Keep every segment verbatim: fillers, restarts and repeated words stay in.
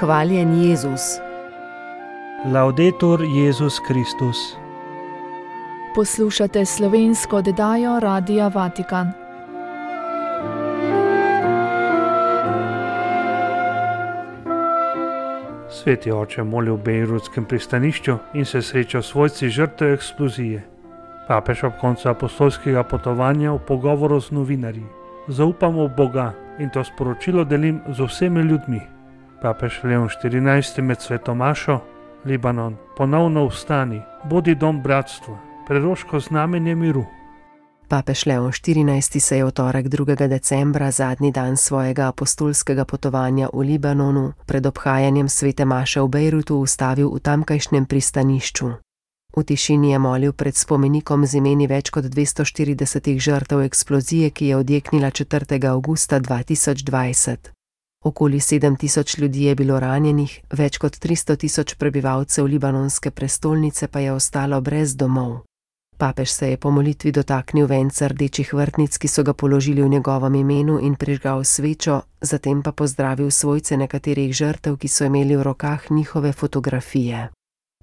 Hvaljen Jezus. Laudetur Jezus Kristus. Poslušate slovensko oddajo Radia Vatikan. Sveti oče moli v bejrutskem pristanišču in se sreča s svojci žrtev eksplozije. Papež ob koncu apostolskega potovanja v pogovoru z novinarji. Zaupamo v Boga in to sporočilo delim z vsemi ljudmi. Papež Leon štirinajsti med sveto mašo, Libanon, ponovno vstani, bodi dom bratstva, preroško znamenje miru. Papež Leon štirinajsti se je v torek drugega decembra, zadnji dan svojega apostolskega potovanja v Libanonu, pred obhajanjem svete maše v Bejrutu ustavil v tamkajšnjem pristanišču. V tišini je molil pred spomenikom z imeni več kot dvesto štiridesetih žrtev eksplozije, ki je odjeknila četrtega avgusta dva tisoč dvajset. Okoli sedem tisoč ljudi je bilo ranjenih, več kot tristo tisoč prebivalcev libanonske prestolnice pa je ostalo brez domov. Papež se je po molitvi dotaknil venca rdečih vrtnic, ki so ga položili v njegovem imenu, in prižgal svečo, zatem pa pozdravil svojce nekaterih žrtev, ki so imeli v rokah njihove fotografije.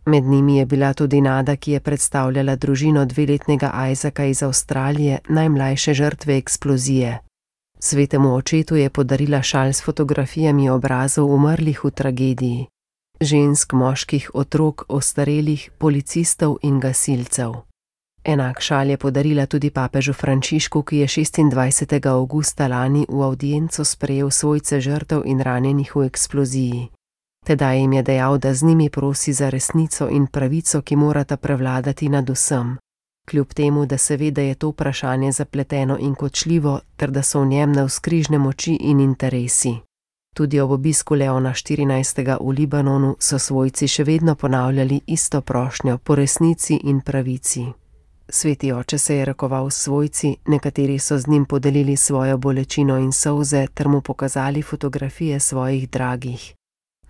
Med njimi je bila tudi Nada, ki je predstavljala družino dveletnega Isaaca iz Avstralije, najmlajše žrtve eksplozije. Svetemu očetu je podarila šal s fotografijami obrazov umrlih v tragediji. Žensk, moških, otrok, ostarelih, policistov in gasilcev. Enak šal je podarila tudi papežu Frančišku, ki je šestindvajsetega avgusta lani v avdienco sprejel svojce žrtev in ranjenih v eksploziji. Tedaj jim je dejal, da z njimi prosi za resnico in pravico, ki morata prevladati nad vsem. Kljub temu, da se ve, da je to vprašanje zapleteno in kočljivo, ter da so v njem navzkrižne moči in interesi. Tudi ob obisku Leona štirinajstega v Libanonu so svojci še vedno ponavljali isto prošnjo po resnici in pravici. Sveti oče se je rokoval s svojci, nekateri so z njim podelili svojo bolečino in solze ter mu pokazali fotografije svojih dragih.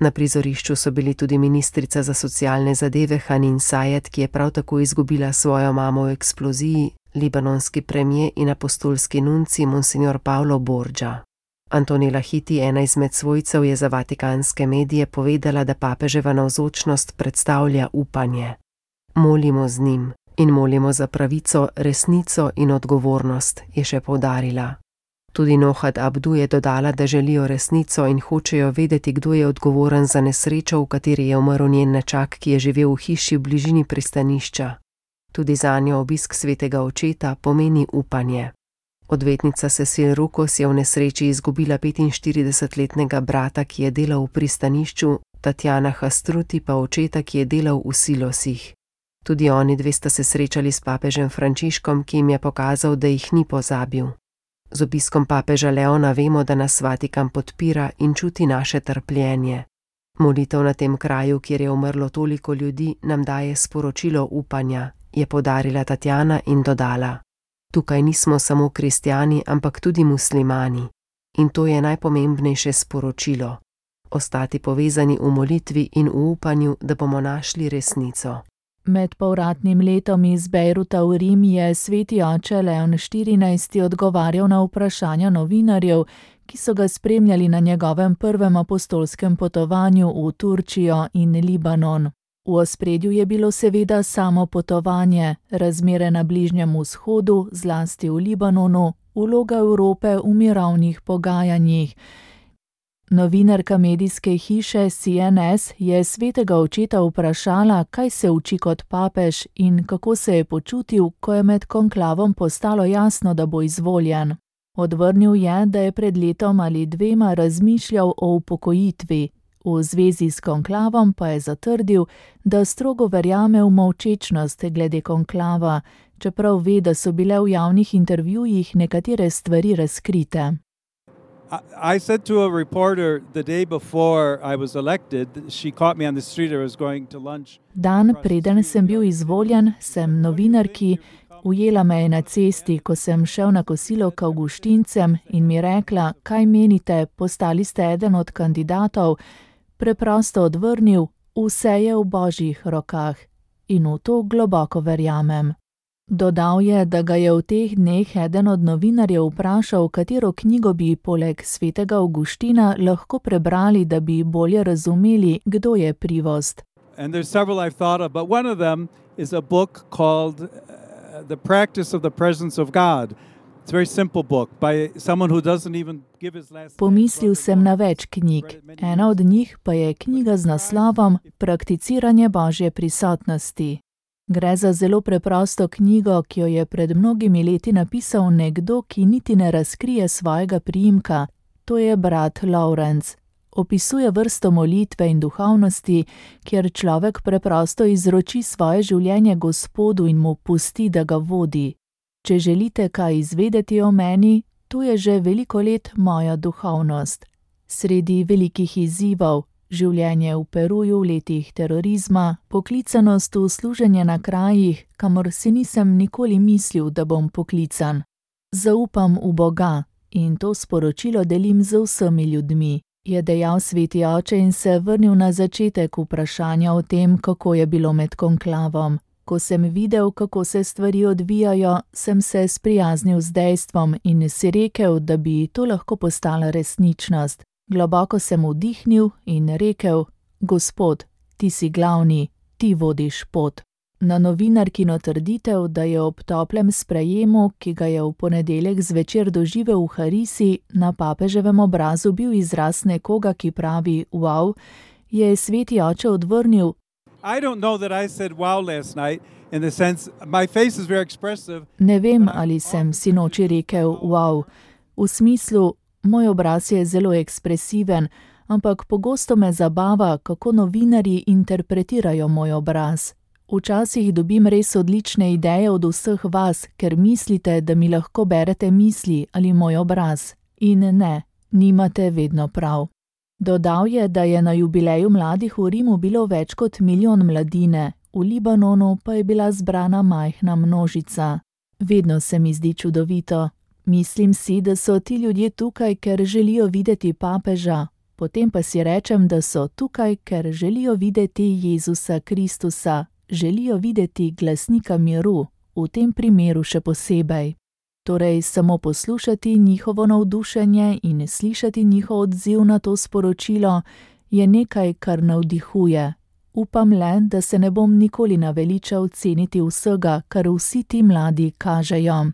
Na prizorišču so bili tudi ministrica za socialne zadeve Hanin Sayed, ki je prav tako izgubila svojo mamo v eksploziji, libanonski premier in apostolski nunci monsignor Paolo Borgia. Antonella Hiti, ena izmed svojcev, je za vatikanske medije povedala, da papeževa navzočnost predstavlja upanje. Molimo z njim in molimo za pravico, resnico in odgovornost, je še poudarila. Tudi Nohad Abdu je dodala, da želijo resnico in hočejo vedeti, kdo je odgovoren za nesrečo, v kateri je umrl njen nečak, ki je živel v hiši v bližini pristanišča. Tudi zanjo obisk svetega očeta pomeni upanje. Odvetnica Cecil Rukos je v nesreči izgubila petinštiridesetletnega brata, ki je delal v pristanišču, Tatjana Hastruti pa očeta, ki je delal v silosih. Tudi oni dve sta se srečali s papežem Frančiškom, ki jim je pokazal, da jih ni pozabil. Z obiskom papeža Leona vemo, da nas Vatikan podpira in čuti naše trpljenje. Molitev na tem kraju, kjer je umrlo toliko ljudi, nam daje sporočilo upanja, je poudarila Tatjana in dodala. Tukaj nismo samo kristjani, ampak tudi muslimani. In to je najpomembnejše sporočilo. Ostati povezani v molitvi in v upanju, da bomo našli resnico. Med povratnim letom iz Bejruta v Rim je sveti oče Leon štirinajsti odgovarjal na vprašanja novinarjev, ki so ga spremljali na njegovem prvem apostolskem potovanju v Turčijo in Libanon. V ospredju je bilo seveda samo potovanje, razmere na Bližnjem vzhodu, zlasti v Libanonu, vloga Evrope v mirovnih pogajanjih. Novinarka medijske hiše C N S je svetega očeta vprašala, kaj se uči kot papež in kako se je počutil, ko je med konklavom postalo jasno, da bo izvoljen. Odvrnil je, da je pred letom ali dvema razmišljal o upokojitvi. V zvezi s konklavom pa je zatrdil, da strogo verjame v molčečnost glede konklava, čeprav ve, da so bile v javnih intervjujih nekatere stvari razkrite. I said to a reporter the day before I was elected, she caught me on the street, I was going to lunch. Dan preden sem bil izvoljen, sem novinarki, ujela me je na cesti, ko sem šel na kosilo k Avguštincem in mi rekla, kaj menite, postali ste eden od kandidatov, preprosto odvrnil, vse je v Božjih rokah in v to globoko verjamem. Dodal je, da ga je v teh dneh eden od novinarjev vprašal, katero knjigo bi poleg svetega Avguština lahko prebrali, da bi bolje razumeli, kdo je Privost. And there's several I've thought of, but one of them is a book called uh, The Practice of the Presence of God. It's a very simple book by someone who doesn't even give his last name. Pomislil sem na več knjig. Ena od njih pa je knjiga z naslovom Prakticiranje Božje prisotnosti. Gre za zelo preprosto knjigo, ki jo je pred mnogimi leti napisal nekdo, ki niti ne razkrije svojega priimka. To je brat Lawrence. Opisuje vrsto molitve in duhovnosti, kjer človek preprosto izroči svoje življenje Gospodu in mu pusti, da ga vodi. Če želite kaj izvedeti o meni, to je že veliko let moja duhovnost. Sredi velikih izzivov, življenje v Peruju v letih terorizma, poklicanost v služenje na krajih, kamor si nisem nikoli mislil, da bom poklican. Zaupam v Boga in to sporočilo delim z vsemi ljudmi, je dejal sveti oče in se vrnil na začetek vprašanja o tem, kako je bilo med konklavom. Ko sem videl, kako se stvari odvijajo, sem se sprijaznil z dejstvom in si rekel, da bi to lahko postala resničnost. Globoko sem vdihnil in rekel, Gospod, ti si glavni, ti vodiš pot. Na novinarkino trditev, da je ob toplem sprejemu, ki ga je v ponedeljek zvečer doživel v Harisi, na papeževem obrazu bil izraz nekoga, ki pravi wow, je sveti oče odvrnil, I don't know that I said wow last night in the sense my face is very expressive. Ne vem, ali sem sinoči rekel wow. V smislu, moj obraz je zelo ekspresiven, ampak pogosto me zabava, kako novinarji interpretirajo moj obraz. Včasih dobim res odlične ideje od vseh vas, ker mislite, da mi lahko berete misli ali moj obraz. In ne, nimate vedno prav. Dodal je, da je na jubileju mladih v Rimu bilo več kot milijon mladine, v Libanonu pa je bila zbrana majhna množica. Vedno se mi zdi čudovito. Mislim si, da so ti ljudje tukaj, ker želijo videti papeža, potem pa si rečem, da so tukaj, ker želijo videti Jezusa Kristusa, želijo videti glasnika miru, v tem primeru še posebej. Torej samo poslušati njihovo navdušenje in slišati njihov odziv na to sporočilo je nekaj, kar navdihuje. Upam le, da se ne bom nikoli naveličal ceniti vsega, kar vsi ti mladi kažejo.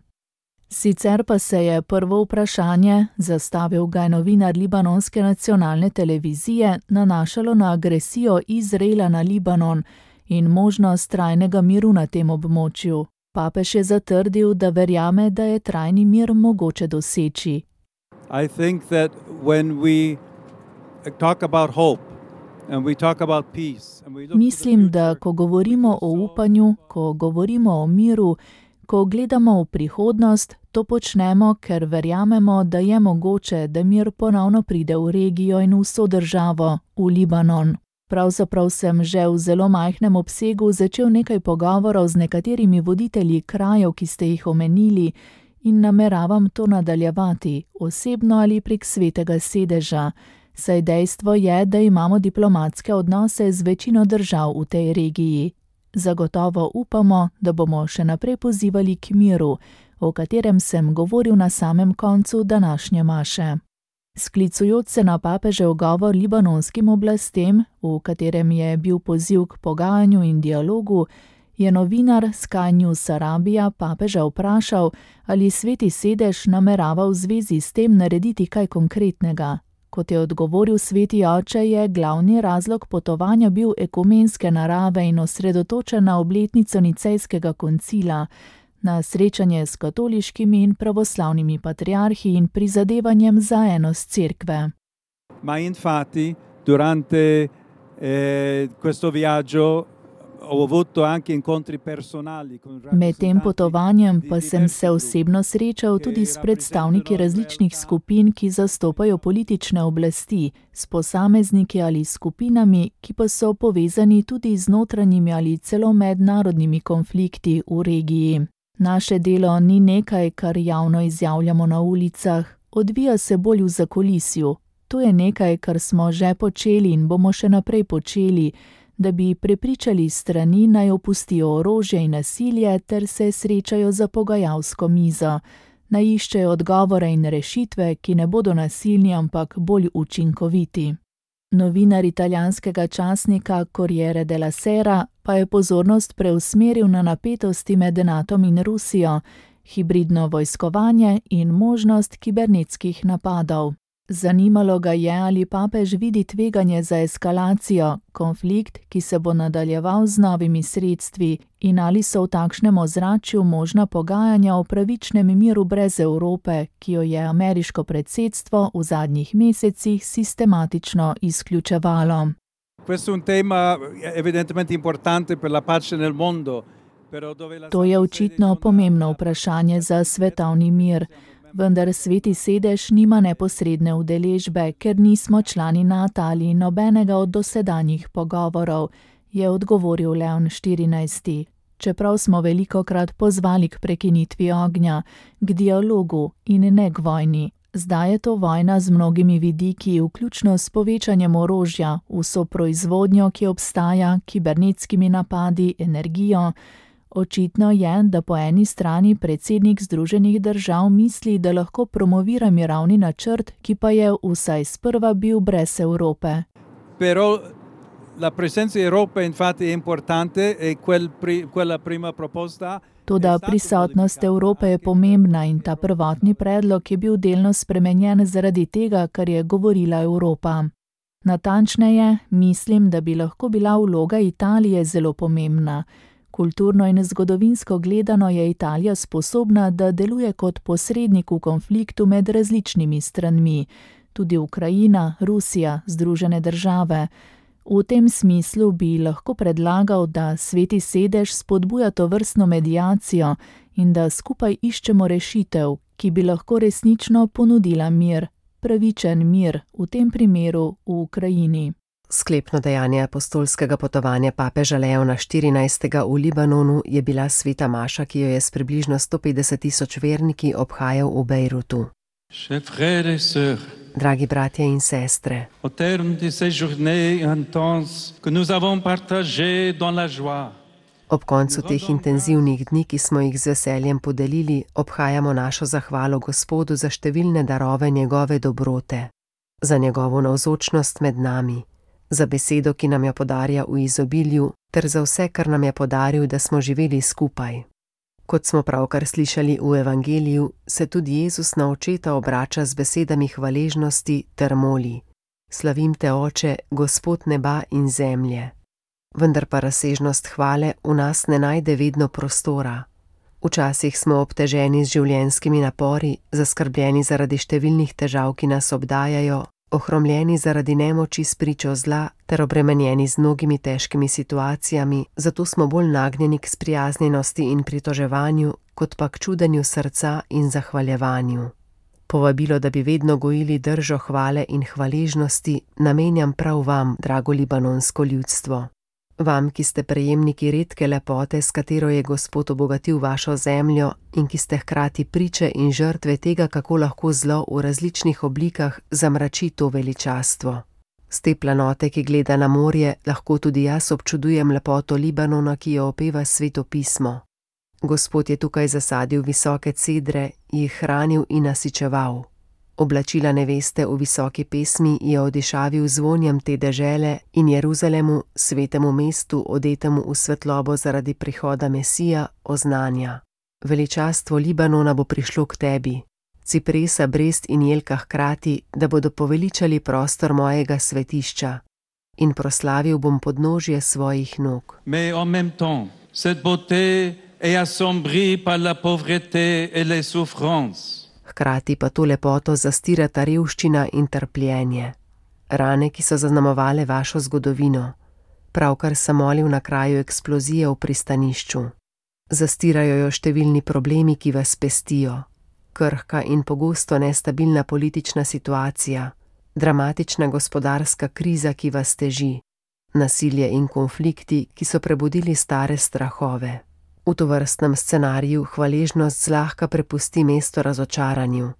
Sicer pa se je prvo vprašanje, zastavil ga je novinar libanonske nacionalne televizije, nanašalo na agresijo Izraela na Libanon in možnost trajnega miru na tem območju. Papež je zatrdil, da verjame, da je trajni mir mogoče doseči. I think that when we talk about hope and we talk about peace and we look Mislim, da ko govorimo o upanju, ko govorimo o miru, ko gledamo v prihodnost, to počnemo, ker verjamemo, da je mogoče, da mir ponovno pride v regijo in vso državo, v Libanon. Pravzaprav sem že v zelo majhnem obsegu začel nekaj pogovorov z nekaterimi voditelji krajev, ki ste jih omenili, in nameravam to nadaljevati, osebno ali prek svetega sedeža, saj dejstvo je, da imamo diplomatske odnose z večino držav v tej regiji. Zagotovo upamo, da bomo še naprej pozivali k miru, o katerem sem govoril na samem koncu današnje maše. Sklicujoč se na papežev govor libanonskim oblastem, v katerem je bil poziv k pogajanju in dialogu, je novinar Sky News Arabia papeža vprašal, ali sveti sedež namerava v zvezi s tem narediti kaj konkretnega. Kot je odgovoril sveti oče, je glavni razlog potovanja bil ekumenske narave in osredotočen na obletnico Nicejskega koncila, na srečanje s katoliškimi in pravoslavnimi patriarhi in prizadevanjem za enost cerkve. Ma infatti durante eh, questo viaggio ho avuto anche incontri personali con Med tem potovanjem pa sem se osebno srečal tudi s predstavniki različnih skupin, ki zastopajo politične oblasti, s posamezniki ali skupinami, ki pa so povezani tudi z notranjimi ali celo mednarodnimi konflikti v regiji. Naše delo ni nekaj, kar javno izjavljamo na ulicah, odvija se bolj v zakulisju. To je nekaj, kar smo že počeli in bomo še naprej počeli, da bi prepričali strani naj opustijo orožje in nasilje ter se srečajo za pogajalsko mizo, naj iščejo odgovore in rešitve, ki ne bodo nasilni, ampak bolj učinkoviti. Novinar italijanskega časnika Corriere della Sera pa je pozornost preusmeril na napetosti med Natom in Rusijo, hibridno vojskovanje in možnost kibernetskih napadov. Zanimalo ga je, ali papež vidi tveganje za eskalacijo, konflikt, ki se bo nadaljeval z novimi sredstvi, in ali so v takšnem ozračju možna pogajanja o pravičnem miru brez Evrope, ki jo je ameriško predsedstvo v zadnjih mesecih sistematično izključevalo. Questo è un tema evidentemente importante per la pace nel mondo. To je očitno pomembno vprašanje za svetovni mir. Vendar Sveti sedež nima neposredne udeležbe, ker nismo člani Nata ali nobenega od dosedanjih pogovorov, je odgovoril Leon štirinajsti. Čeprav smo velikokrat pozvali k prekinitvi ognja, k dialogu in ne k vojni. Zdaj je to vojna z mnogimi vidiki, vključno s povečanjem orožja, vso proizvodnjo, ki obstaja, kibernetskimi napadi, energijo. Očitno je, da po eni strani predsednik Združenih držav misli, da lahko promovira mirovni načrt, ki pa je vsaj sprva bil brez Evrope. Però la presenza Evrope infatti è importante e quel pri, quella prima proposta. Toda prisotnost Evrope je pomembna in ta prvotni predlog je bil delno spremenjen zaradi tega, kar je govorila Evropa. Natančneje, mislim, da bi lahko bila vloga Italije zelo pomembna. Kulturno in zgodovinsko gledano je Italija sposobna, da deluje kot posrednik v konfliktu med različnimi stranmi, tudi Ukrajina, Rusija, Združene države. V tem smislu bi lahko predlagal, da Sveti sedež spodbuja tovrstno mediacijo in da skupaj iščemo rešitev, ki bi lahko resnično ponudila mir, pravičen mir, v tem primeru v Ukrajini. Sklepno dejanje apostolskega potovanja papeža Leona štirinajstega v Libanonu je bila sveta maša, ki jo je s približno sto petdeset tisoč verniki obhajal v Bejrutu. Dragi bratje in sestre, ob koncu teh intenzivnih dni, ki smo jih z veseljem podelili, obhajamo našo zahvalo Gospodu za številne darove njegove dobrote, za njegovo navzočnost med nami, za besedo, ki nam jo podarja v izobilju, ter za vse, kar nam je podaril, da smo živeli skupaj. Kot smo pravkar slišali v evangeliju, se tudi Jezus na očeta obrača z besedami hvaležnosti ter moli: Slavim te, Oče, Gospod neba in zemlje. Vendar pa razsežnost hvale v nas ne najde vedno prostora. Včasih smo obteženi z življenjskimi napori, zaskrbljeni zaradi številnih težav, ki nas obdajajo, ohromljeni zaradi nemoči spričo zla ter obremenjeni z mnogimi težkimi situacijami, zato smo bolj nagnjeni k sprijaznjenosti in pritoževanju, kot pa k čudenju srca in zahvaljevanju. Povabilo, da bi vedno gojili držo hvale in hvaležnosti, namenjam prav vam, drago libanonsko ljudstvo. Vam, ki ste prejemniki redke lepote, s katero je Gospod obogatil vašo zemljo in ki ste hkrati priče in žrtve tega, kako lahko zlo v različnih oblikah zamrači to veličastvo. Z te planote, ki gleda na morje, lahko tudi jaz občudujem lepoto Libanona, ki jo opeva Sveto pismo. Gospod je tukaj zasadil visoke cedre, jih hranil in nasičeval. Oblačila neveste v visoki pesmi je odišavil zvonjem te dežele in Jeruzalemu, svetemu mestu, odetemu v svetlobo zaradi prihoda Mesija, oznanja: Veličastvo Libanona bo prišlo k tebi, cipresa, brest in jelka hkrati, da bodo poveličali prostor mojega svetišča, in proslavil bom podnožje svojih nog. Mais en même temps, cette beauté est assombrie par la pauvreté et les souffrances. Hkrati pa to lepoto zastirata revščina in trpljenje. Rane, ki so zaznamovale vašo zgodovino. Pravkar sem molil na kraju eksplozije v pristanišču. Zastirajo jo številni problemi, ki vas pestijo. Krhka in pogosto nestabilna politična situacija, dramatična gospodarska kriza, ki vas teži, nasilje in konflikti, ki so prebudili stare strahove. V tovrstnem scenariju hvaležnost zlahka prepusti mesto razočaranju.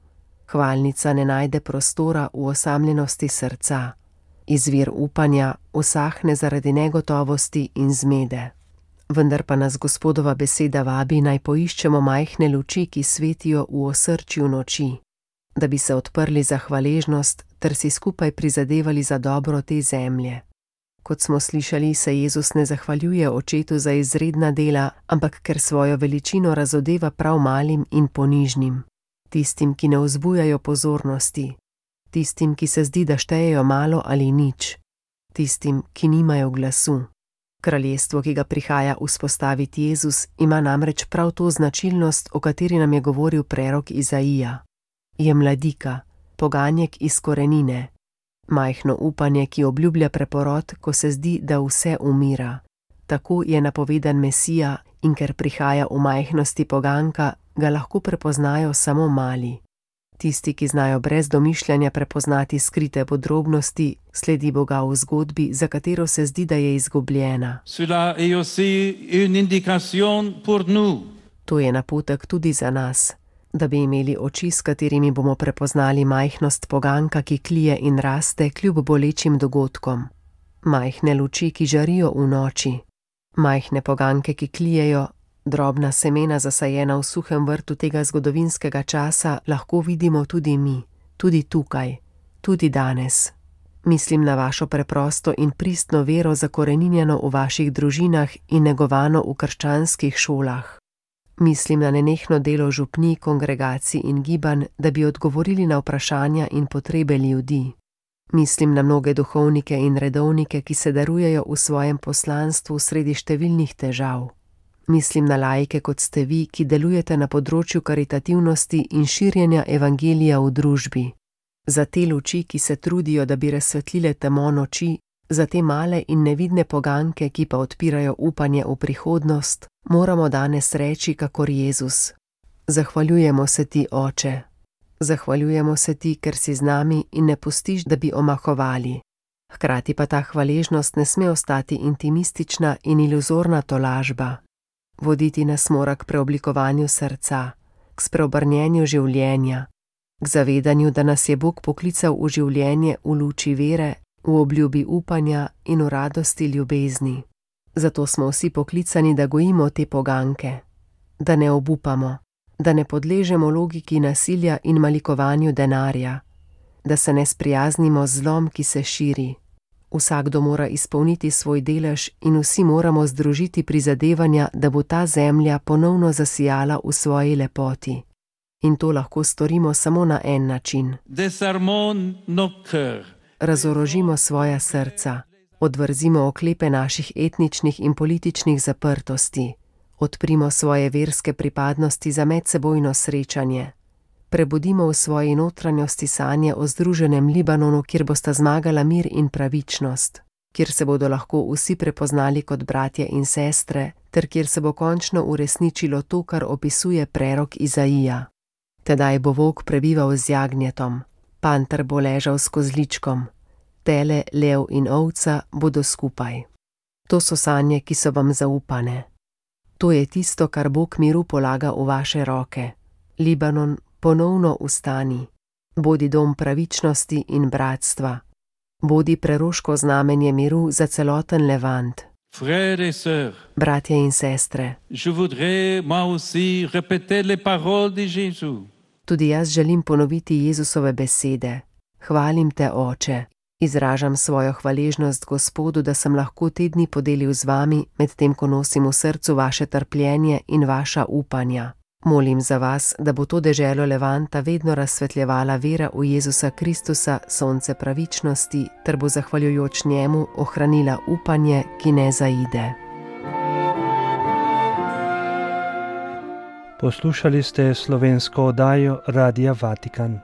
Hvalnica ne najde prostora v osamljenosti srca. izvir upanja, usahne zaradi negotovosti in zmede. Vendar pa nas Gospodova beseda vabi, naj poiščemo majhne luči, ki svetijo v osrčju noči, da bi se odprli za hvaležnost ter si skupaj prizadevali za dobro te zemlje. Kot smo slišali, se Jezus ne zahvaljuje Očetu za izredna dela, ampak ker svojo veličino razodeva prav malim in ponižnim, tistim, ki ne vzbujajo pozornosti, tistim, ki se zdi, da štejejo malo ali nič, tistim, ki nimajo glasu. Kraljestvo, ki ga prihaja vzpostaviti Jezus, ima namreč prav to značilnost, o kateri nam je govoril prerok Izaija. Je mladika, poganjek iz korenine, majhno upanje, ki obljublja preporod, ko se zdi, da vse umira. Tako je napovedan Mesija in ker prihaja v majhnosti poganka, ga lahko prepoznajo samo mali. Tisti, ki znajo brez domišljanja prepoznati skrite podrobnosti, sledi Boga v zgodbi, za katero se zdi, da je izgubljena. To je napotek tudi za nas, da bi imeli oči, s katerimi bomo prepoznali majhnost poganka, ki klije in raste kljub bolečim dogodkom. Majhne luči, ki žarijo v noči. Majhne poganke, ki klijejo. Drobna semena, zasajena v suhem vrtu tega zgodovinskega časa, lahko vidimo tudi mi, tudi tukaj, tudi danes. Mislim na vašo preprosto in pristno vero, zakoreninjeno v vaših družinah in negovano v krščanskih šolah. Mislim na nenehno delo župnij, kongregacij in gibanj, da bi odgovorili na vprašanja in potrebe ljudi. Mislim na mnoge duhovnike in redovnike, ki se darujejo v svojem poslanstvu sredi številnih težav. Mislim na laike, kot ste vi, ki delujete na področju karitativnosti in širjenja evangelija v družbi. Za te luči, ki se trudijo, da bi razsvetlile temo noči, za te male in nevidne poganke, ki pa odpirajo upanje v prihodnost, moramo danes reči, kakor Jezus. Zahvaljujemo se ti, Oče. Zahvaljujemo se ti, ker si z nami in ne pustiš, da bi omahovali. Hkrati pa ta hvaležnost ne sme ostati intimistična in iluzorna tolažba. Voditi nas mora k preoblikovanju srca, k spreobrnjenju življenja, k zavedanju, da nas je Bog poklical v življenje v luči vere, v obljubi upanja in v radosti ljubezni. Zato smo vsi poklicani, da gojimo te poganke, da ne obupamo, da ne podležemo logiki nasilja in malikovanju denarja, da se ne sprijaznimo z zlom, ki se širi. Vsakdo mora izpolniti svoj delež in vsi moramo združiti prizadevanja, da bo ta zemlja ponovno zasijala v svoji lepoti. In to lahko storimo samo na en način. Razorožimo svoja srca, odvrzimo oklepe naših etničnih in političnih zaprtosti, odprimo svoje verske pripadnosti za medsebojno srečanje. Prebudimo v svoji notranjosti sanje o združenem Libanonu, kjer bosta zmagala mir in pravičnost, kjer se bodo lahko vsi prepoznali kot bratje in sestre, ter kjer se bo končno uresničilo to, kar opisuje prerok Izaija. Tedaj bo volk prebival z jagnjetom, panter bo ležal s kozličkom, tele, lev in ovca bodo skupaj. To so sanje, ki so vam zaupane. To je tisto, kar Bog miru polaga v vaše roke. Libanon, ponovno vstani, bodi dom pravičnosti in bratstva, bodi preroško znamenje miru za celoten Levant. Frères et sœurs, bratje in sestre, je voudrais moi aussi répéter les paroles de Jésus. Tudi jaz želim ponoviti Jezusove besede. Hvalim te, Oče, izražam svojo hvaležnost Gospodu, da sem lahko te dni podelil z vami, medtem ko nosim v srcu vaše trpljenje in vaša upanja. Molim za vas, da bo to deželo Levanta vedno razsvetljevala vera v Jezusa Kristusa, sonce pravičnosti, ter bo zahvaljujoč njemu ohranila upanje, ki ne zaide. Poslušali ste slovensko oddajo Radia Vatikan.